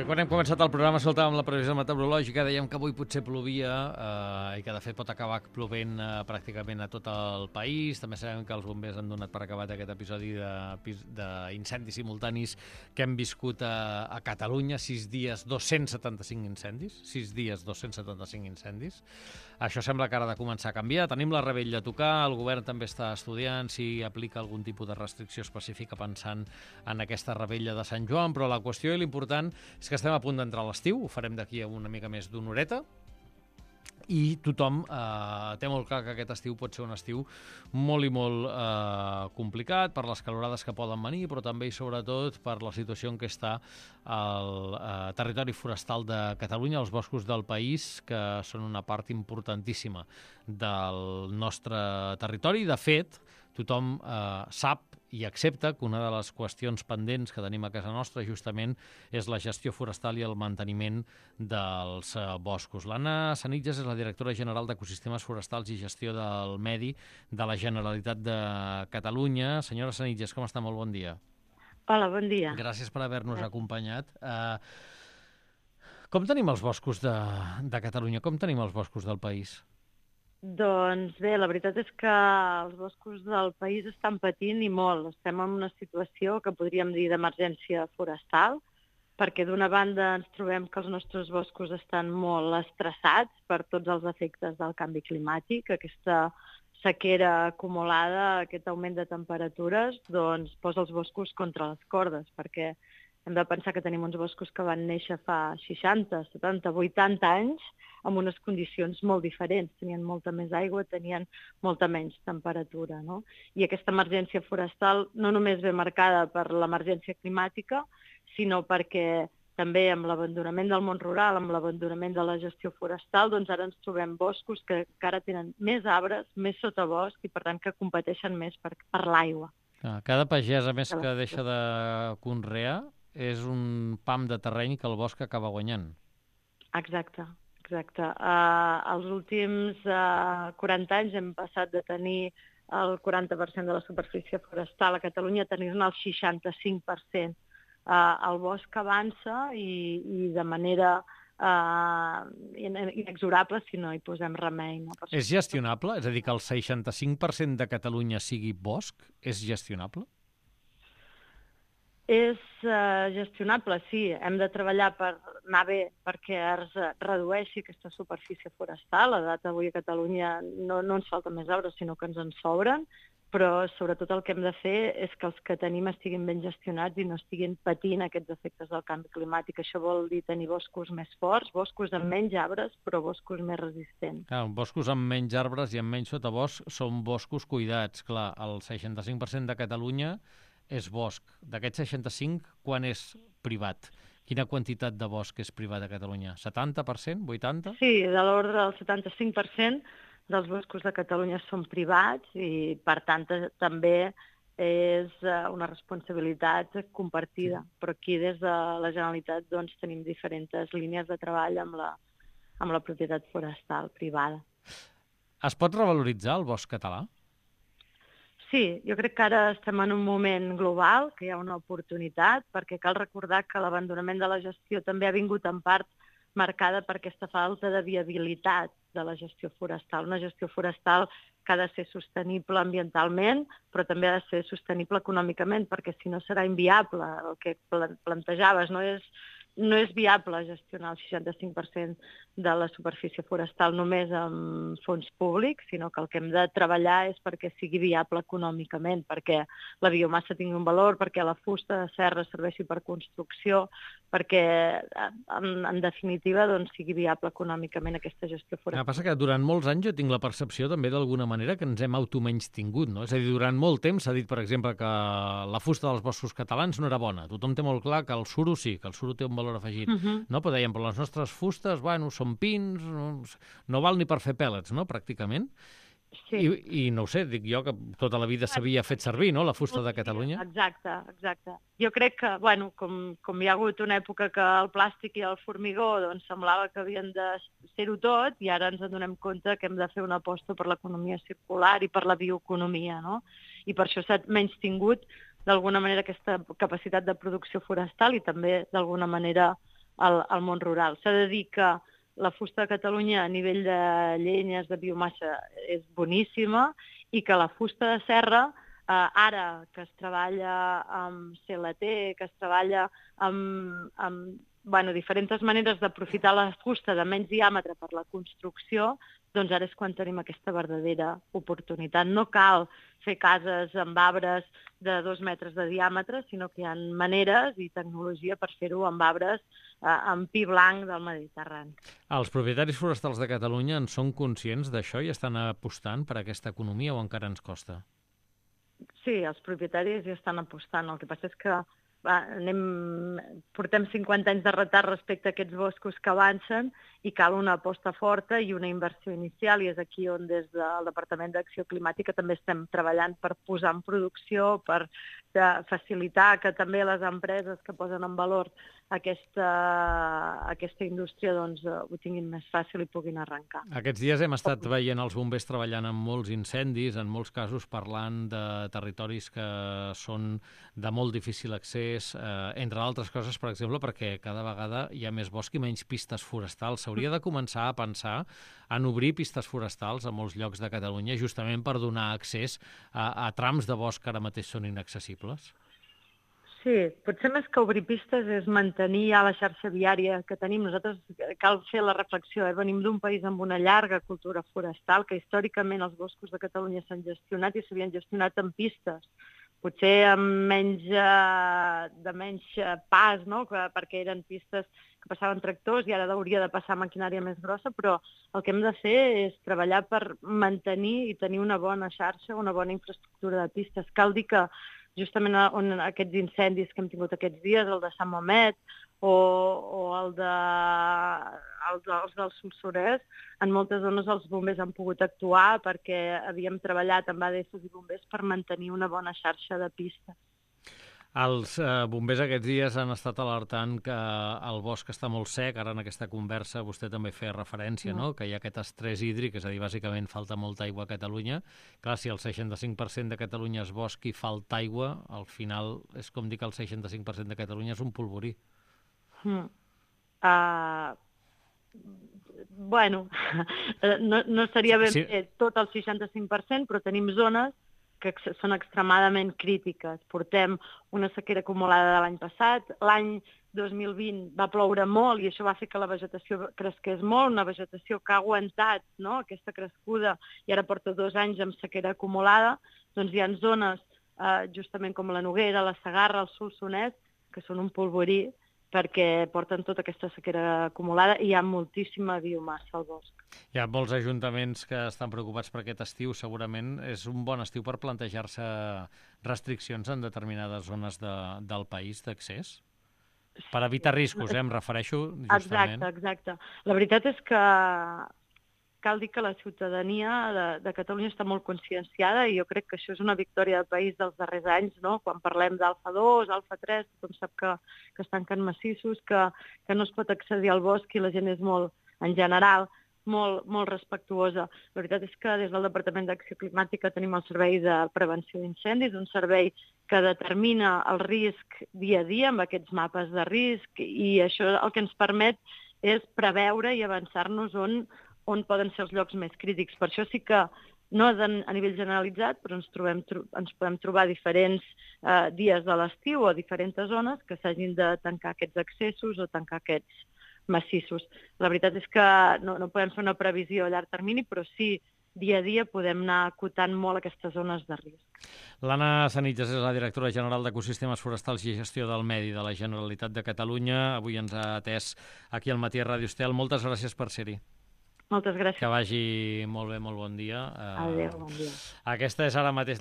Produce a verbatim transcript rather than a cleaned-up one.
Perquè quan hem començat el programa saltàvem la previsió meteorològica, dèiem que avui potser plovia eh, i que de fet pot acabar plovent eh, pràcticament a tot el país. També sabem que els bombers han donat per acabat aquest episodi d'incendis simultanis que hem viscut a, a Catalunya. Sis dies, dos-cents setanta-cinc incendis. Sis dies, dos-cents setanta-cinc incendis. Això sembla que ara ha de començar a canviar. Tenim la revetlla a tocar, el govern també està estudiant si aplica algun tipus de restricció específica pensant en aquesta revetlla de Sant Joan, però la qüestió i l'important és que estem a punt d'entrar a l'estiu, ho farem d'aquí a una mica més d'una horeta, i tothom eh, té molt clar que aquest estiu pot ser un estiu molt i molt eh, complicat per les calorades que poden venir, però també i sobretot per la situació en què està el eh, territori forestal de Catalunya, els boscos del país, que són una part importantíssima del nostre territori. De fet, tothom eh, sap i accepta que una de les qüestions pendents que tenim a casa nostra justament és la gestió forestal i el manteniment dels eh, boscos. L'Anna Sanitges és la directora general d'Ecosistemes Forestals i Gestió del Medi de la Generalitat de Catalunya. Senyora Sanitges, com està? Molt bon dia. Hola, bon dia. Gràcies per haver-nos acompanyat. Eh, com tenim els boscos de, de Catalunya? Com tenim els boscos del país? Doncs bé, la veritat és que els boscos del país estan patint i molt. Estem en una situació que podríem dir d'emergència forestal, perquè d'una banda ens trobem que els nostres boscos estan molt estressats per tots els efectes del canvi climàtic. Aquesta sequera acumulada, aquest augment de temperatures, doncs posa els boscos contra les cordes, perquè hem de pensar que tenim uns boscos que van néixer fa seixanta, setanta, vuitanta anys amb unes condicions molt diferents. Tenien molta més aigua, tenien molta menys temperatura, no? I aquesta emergència forestal no només ve marcada per l'emergència climàtica, sinó perquè també amb l'abandonament del món rural, amb l'abandonament de la gestió forestal, doncs ara ens trobem boscos que encara tenen més arbres, més sotabosc i per tant que competeixen més per, per l'aigua. Cada pagès, a més, que deixa de conrear, és un pam de terreny que el bosc acaba guanyant. Exacte, exacte. Uh, els últims uh, quaranta anys hem passat de tenir el quaranta per cent de la superfície forestal a Catalunya a tenir-ne el seixanta-cinc per cent. Uh, el bosc avança i, i de manera uh, inexorable si no hi posem remei. No? És gestionable? És a dir, que el seixanta-cinc per cent de Catalunya sigui bosc? És gestionable? És uh, gestionable, sí. Hem de treballar per anar bé perquè es redueixi aquesta superfície forestal. A data d'avui a Catalunya no, no ens falten més arbres, sinó que ens en sobren, però sobretot el que hem de fer és que els que tenim estiguin ben gestionats i no estiguin patint aquests efectes del canvi climàtic. Això vol dir tenir boscos més forts, boscos amb menys arbres, però boscos més resistents. Clar, boscos amb menys arbres i amb menys sotabosc són boscos cuidats. Clar, el seixanta-cinc per cent de Catalunya és bosc. D'aquest seixanta-cinc, quan és privat? Quina quantitat de bosc és privat a Catalunya? setanta per cent? vuitanta per cent? Sí, de l'ordre del setanta-cinc per cent dels boscos de Catalunya són privats i, per tant, també és una responsabilitat compartida. Però aquí, des de la Generalitat, doncs, tenim diferents línies de treball amb la, amb la propietat forestal privada. Es pot revaloritzar el bosc català? Sí, jo crec que ara estem en un moment global, que hi ha una oportunitat, perquè cal recordar que l'abandonament de la gestió també ha vingut en part marcada per aquesta falta de viabilitat de la gestió forestal. Una gestió forestal que ha de ser sostenible ambientalment, però també ha de ser sostenible econòmicament, perquè si no serà inviable. El que plantejaves no és, no és viable gestionar el seixanta-cinc per cent de la superfície forestal només amb fons públics, sinó que el que hem de treballar és perquè sigui viable econòmicament, perquè la biomassa tingui un valor, perquè la fusta de serra serveixi per construcció, perquè, en, en definitiva, doncs, sigui viable econòmicament aquesta gestió forestal. El que passa que durant molts anys jo tinc la percepció també d'alguna manera que ens hem automenystingut, no? És a dir, durant molt temps s'ha dit, per exemple, que la fusta dels boscos catalans no era bona. Tothom té molt clar que el suro sí, que el suro té un valor afegit. Uh-huh. No? Però dèiem, però les nostres fustes, bueno, són pins, no, no val ni per fer pèl·lets, no?, pràcticament. Sí. I, I no ho sé, dic jo que tota la vida s'havia fet servir, no?, la fusta de Catalunya. Exacte, exacte. Jo crec que, bueno, com, com hi ha hagut una època que el plàstic i el formigó doncs, semblava que havien de ser-ho tot, i ara ens adonem compte que hem de fer una aposta per l'economia circular i per la bioeconomia, no? I per això s'ha menystingut d'alguna manera aquesta capacitat de producció forestal i també d'alguna manera al, al món rural. S'ha de dir que la fusta de Catalunya a nivell de llenyes, de biomassa, és boníssima i que la fusta de serra, eh, ara que es treballa amb C L T, que es treballa amb, amb bueno, diferents maneres d'aprofitar la fusta de menys diàmetre per la construcció, doncs ara és quan tenim aquesta verdadera oportunitat. No cal fer cases amb arbres de dos metres de diàmetre, sinó que hi ha maneres i tecnologia per fer-ho amb arbres eh, amb pi blanc del Mediterrani. Els propietaris forestals de Catalunya en són conscients d'això i estan apostant per aquesta economia o encara ens costa? Sí, els propietaris hi estan apostant. El que passa és que va, anem, portem cinquanta anys de retard respecte a aquests boscos que avancen i cal una aposta forta i una inversió inicial, i és aquí on des del Departament d'Acció Climàtica també estem treballant per posar en producció, per facilitar que també les empreses que posen en valor aquesta, aquesta indústria doncs, ho tinguin més fàcil i puguin arrencar. Aquests dies hem estat veient els bombers treballant en molts incendis, en molts casos parlant de territoris que són de molt difícil accés, eh, entre altres coses, per exemple, perquè cada vegada hi ha més bosc i menys pistes forestals. S'hauria de començar a pensar en obrir pistes forestals a molts llocs de Catalunya justament per donar accés a, a trams de bosc que ara mateix són inaccessibles? Sí, potser més que obrir pistes és mantenir ja la xarxa viària que tenim. Nosaltres cal fer la reflexió, eh? Venim d'un país amb una llarga cultura forestal, que històricament els boscos de Catalunya s'han gestionat i s'havien gestionat en pistes, potser amb menys, eh, de menys pas, no? Perquè eren pistes que passaven tractors i ara hauria de passar maquinària més grossa, però el que hem de fer és treballar per mantenir i tenir una bona xarxa, una bona infraestructura de pistes. Cal dir que justament on aquests incendis que hem tingut aquests dies, el de Sant Mamet o, o el, de, el, de, els del Solsonès, en moltes zones els bombers han pogut actuar perquè havíem treballat amb A D Fs i bombers per mantenir una bona xarxa de pistes. Els eh, bombers aquests dies han estat alertant que el bosc està molt sec. Ara en aquesta conversa vostè també feia referència, no? Que hi ha aquest estrès hídric, és a dir, bàsicament falta molta aigua a Catalunya. Clar, si el seixanta-cinc per cent de Catalunya és bosc i falta aigua, al final és com dir que el seixanta-cinc per cent de Catalunya és un polvorí. Mm. Uh, bueno, no, no seria ben sí. fet tot el seixanta-cinc per cent, però tenim zones que són extremadament crítiques. Portem una sequera acumulada de l'any passat. L'any dos mil vint va ploure molt i això va fer que la vegetació cresqués molt, una vegetació que ha aguantat, no?, aquesta crescuda, i ara porta dos anys amb sequera acumulada. Doncs hi ha zones, eh, justament com la Noguera, la Segarra, el Solsonès, que són un polvorí perquè porten tota aquesta sequera acumulada i hi ha moltíssima biomassa al bosc. Hi ha molts ajuntaments que estan preocupats per aquest estiu. Segurament és un bon estiu per plantejar-se restriccions en determinades zones de, del país d'accés? Per evitar riscos, eh, em refereixo justament. Exacte, exacte. La veritat és que cal dir que la ciutadania de, de Catalunya està molt conscienciada i jo crec que això és una victòria del país dels darrers anys, no? Quan parlem d'Alfa dos, Alfa tres, tothom sap que, que es tanquen massissos, que, que no es pot accedir al bosc i la gent és molt, en general, molt, molt respectuosa. La veritat és que des del Departament d'Acció Climàtica tenim el Servei de Prevenció d'Incendis, un servei que determina el risc dia a dia amb aquests mapes de risc, i això el que ens permet és preveure i avançar-nos on on poden ser els llocs més crítics. Per això sí que no és a nivell generalitzat, però ens, trobem, ens podem trobar diferents eh, dies de l'estiu o diferents zones que s'hagin de tancar aquests accessos o tancar aquests massissos. La veritat és que no, no podem fer una previsió a llarg termini, però sí, dia a dia podem anar acotant molt aquestes zones de risc. L'Anna Sanitges és la directora general d'Ecosistemes Forestals i Gestió del Medi de la Generalitat de Catalunya. Avui ens ha atès aquí al Matí a Ràdio Estel. Moltes gràcies per ser-hi. Moltes gràcies. Que vagi molt bé, molt bon dia. Adéu, bon dia. Aquesta és ara mateix